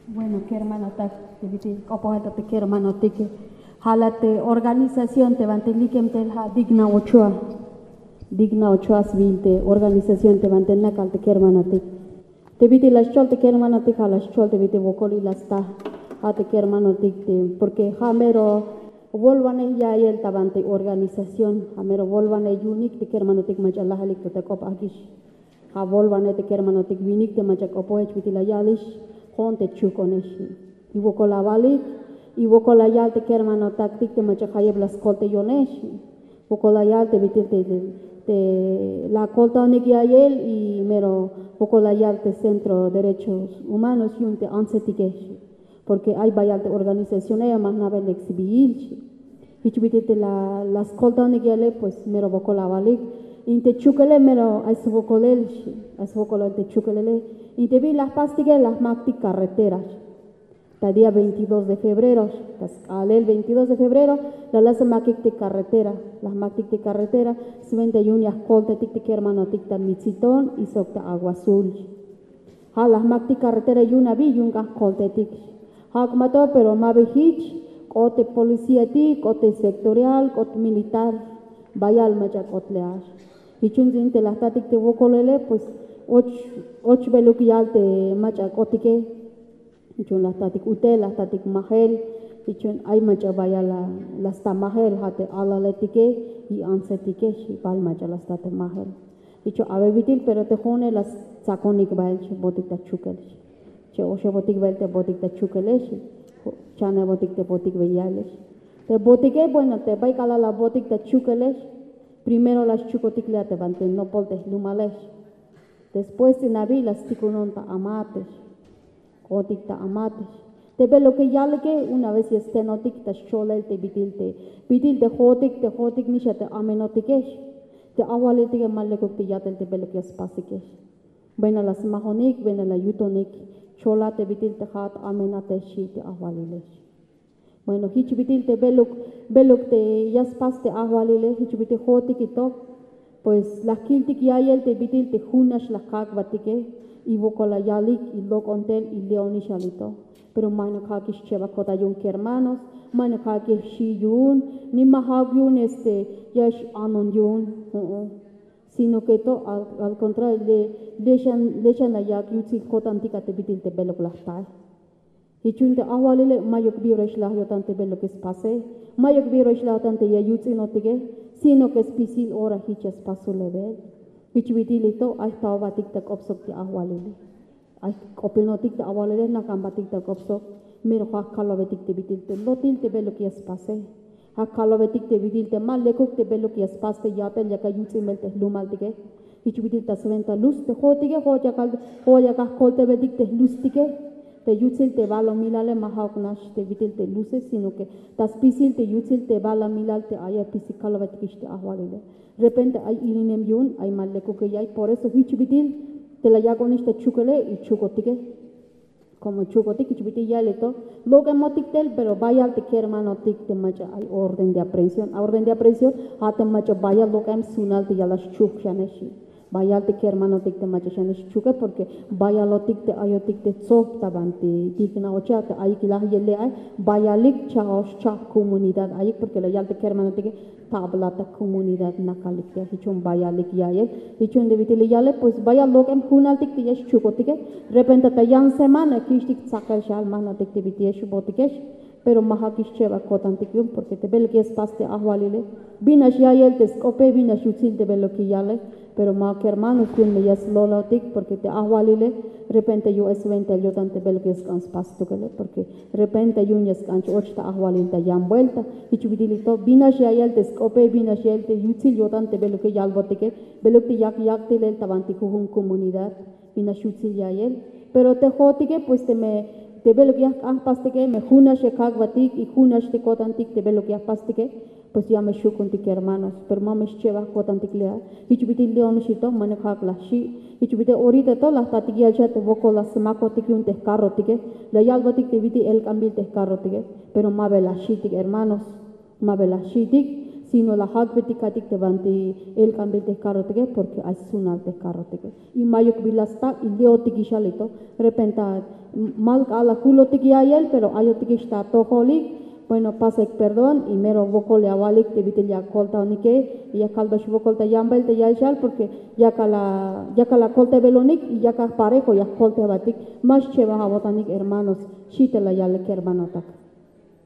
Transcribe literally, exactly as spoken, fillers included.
Bueno, kermanotak, te bit'il k'opojel ta te kermanotik, ja' la te organización te banti likem tel ja' Digna Ochoa. Digna Ochoa sbiil te organización te banti nakal te kermanotik. Te bit'il la xchol te kermanotik, ja' la xchol te bit'il wokol y la sta, ja' te kermanotik te, porque ja' mero wolwanej ya'iyel ta banti organización, ja' mero wolwanej yu'unik te kermanotik mach'a lajalik to ta k'op ak'ix. Ja' wolwanej te kermanotik winik te mach'a k'opojel bit'il la yalix, jo'on te chukonex. Y wokol awalik, y wokol la yal te kermanotaktik te mach'a jayeb la skoltayonex. Wokol la yal te bit'il te, te la koltaonik ya'iyel y mero wokol la yal te Centro Derechos Humanos yu'un te antsetikex. Porque ay bayal te organización aya ma jna'bel lek sbiil. Jich bit'il te la, la skoltaonik ya'iyele, pues mero wokol awalik. In te chukele mero ay swokolel, ay swokolel te chukelele. In te bi la jpastike la jmak'tik carretera. Ta día veintidós de febrero, ta sk'ahlel veintidós de febrero, la la smak'ik te carretera, la jmak'tik te carretera, swenta yu'un ya jkoltatik te kermanotik ta Mitziton y sok ta Agua Azul. Ja' la jmak'tik carretera yu'un abi, yu'un k'an jkoltatik. Ja' k'ma to, pero ma ba jich, k'ot te policíatik, k'ot te sectorial, k'ot militar, bayal mach'a k'ot le a. Jich yu'un ts'in te la jtatik te wokolele, pues och, och beluk yal te mach'a k'otike. Jich yu'un la jtatik utel, la jtatik majel. Jich yu'un ay mach'a bayal la, la sta majel, ja' te alaletike y antsetike, xi, bal mach'a la sta te majel. Jich yu'un awe bit'il, pero te jo'one la stsakonik bael, xi, botik ta chukel, xi. Che oxebotik bael te botik ta chukele, xi. Chanebotik te botik bael ya'iyele, xi. Te botike, bueno, te bay k'alal la botik ta chukele, xi. Primero la xchukotik le a te banti nopol te jlumale, xi. Después ts'in abi la stikunon ta amate, xi. K'otik ta amate, xi. Te beluk ya yalike, una vez ya stenotik ta xcholel te bit'il te, bit'il te jo'otik, te jo'otik nix a te amenotike, xi. Te ajwaliltike ma lekuk te ya'tel te beluk ya spasike, xi. Bueno, la smajonik, bueno, la yutonik, chola te bit'il te ja'at amenate, xi te ajwalile, xi. Bueno, jich bit'il te beluk, beluk te ya spas te ajwalile, jich bit'il jo'otik y to, pues la jkiltik ya'iyel te bit'il te junax la jkak'batike, y wokol la yalik y lok'on tel y le'onix yal y to. Pero ma ja'uk xchebaj ko'tan yu'un kermanos, ma ja'uk xi' yu'un, ni ma ja'uk yu'un este ya x-anon yu'un, jo'on. Sino que to, al, al contrario, le, le xan, le xan la yak' yutsil ko'tantik a te bit'il te beluk la jtae. Jich yu'un te ajwalile, ma'yuk bi ora xlaj yo'tan te beluk ya spase, ma'yuk bi ora xlaj yo'tan te ya yuts'inotike, sino que spisil ora jich ya spasojel bael. Jich bit'il y to, ay jtaobatik ta k'op sok te ajwalile. Ay jk'opinotik te ajwalile, nakanbatik ta k'op sok, mero ja' jkalobetik te bit'il te lotil te beluk ya spase. Ja' jkalobetik te bit'il te ma lekuk te beluk ya spas te ya'tel yak a yuts'in bael te jlumaltike. Jich bit'il ta swenta luz te jo'otike, jo'ot yak a, jo'ot yak a jkoltaybetik te luztike. Te yutsil te balumilale ma ja'uk nax te bit'il te luces, sino que ta spisil te yutsil te balumilal te ay a spisil kalobetikix te ajwalile. Repente ay ilinem yu'un, ay ma lekuke ya'iy, por eso jich bit'il te la yak'onix ta chukele y chukotike. Como chukotik, jich bit'il ya'iyel to, lok'emotik tel, pero bayal te kermanotik te mach'a ay orden de aprehensión. A orden de aprehensión, ja' te mach'a bayal lok'em sunal te ya la xchuk xane, xi. Bayal te kermanotik te mach'a xane xchuke, porque bayalotik te ayotik te tsop ta banti Digna Ochoa te ayik laj yele ay, bayalik cha'ox cha'p comunidad ayik, porque la yal te kermanotik, tabla ta comunidad nakalik te, jich yu'un bayalik ya'iyel. Jich yu'un te bit'il yale, pues bayal lok'em junaltik te ya xchukotike. Repente ta yan semana kich'tik tsakal xal, ma jna'tik te bit'il ya xbotike, xi. Pero ma ja'uk xchebaj ko'tantik yu'un, porque te beluk ya spas te ajwalile, binax ya'iyel te sk'ope, binax yutsil te beluk ya yale. Pero ma kermanos, yu'un me ya slolotik, porque te ajwalile repente yu'un swenta yo'tan te beluk ya sk'an spas stukel, porque repente yu'un ya sk'an ch-och ta ajwalil ta yan vuelta. Jich bit'il y to, binax ya'iyel te sk'ope, binax ya'iyel te yutsil yo'tan te beluk ya yalbotike, beluk te yak yak'tilel ta banti jujun comunidad, binax yutsil ya'iyel. Pero te jo'otike, pues teme te beluk ya jk'an jpastike, me junax ya kak'batik y junax te ko'tantik te beluk ya jpastike, pues ya me xju' ku'untik kermanos, pero ma me xchebaj ko'tantik le a. Jich bit'il le'onix y to, ma ja'uk la xi'. Jich bit'il orita to la jtatik ya'iyel xan te wokol la smakotik yu'un te jkarrotike, la yalbotik te bit'il elk'anbil te jkarrotike, pero ma ba la xi'tik hermanos, ma ba la xi'tik, Sino la jak'betik ka'aytik te banti elk'anbil te jkarrotike, porque ay sunal te jkarrotike. Y mayuk bila sta y le'otik ixal ito. Repenta mal k'alal la julotik ya'iyel, pero ayotikix ta atojolik. Bueno, pasek perdón y mero wokol ya awalik te bit'il ya akoltajonike. Y ya kalbex wokol ta yambahel te ya'iyel, porque yakal la akoltaybelonik y yakal parejo ya jkoltaybatik. Ma xchebaj awo'tanik, hermanos. Xi te la yalik kermanotak.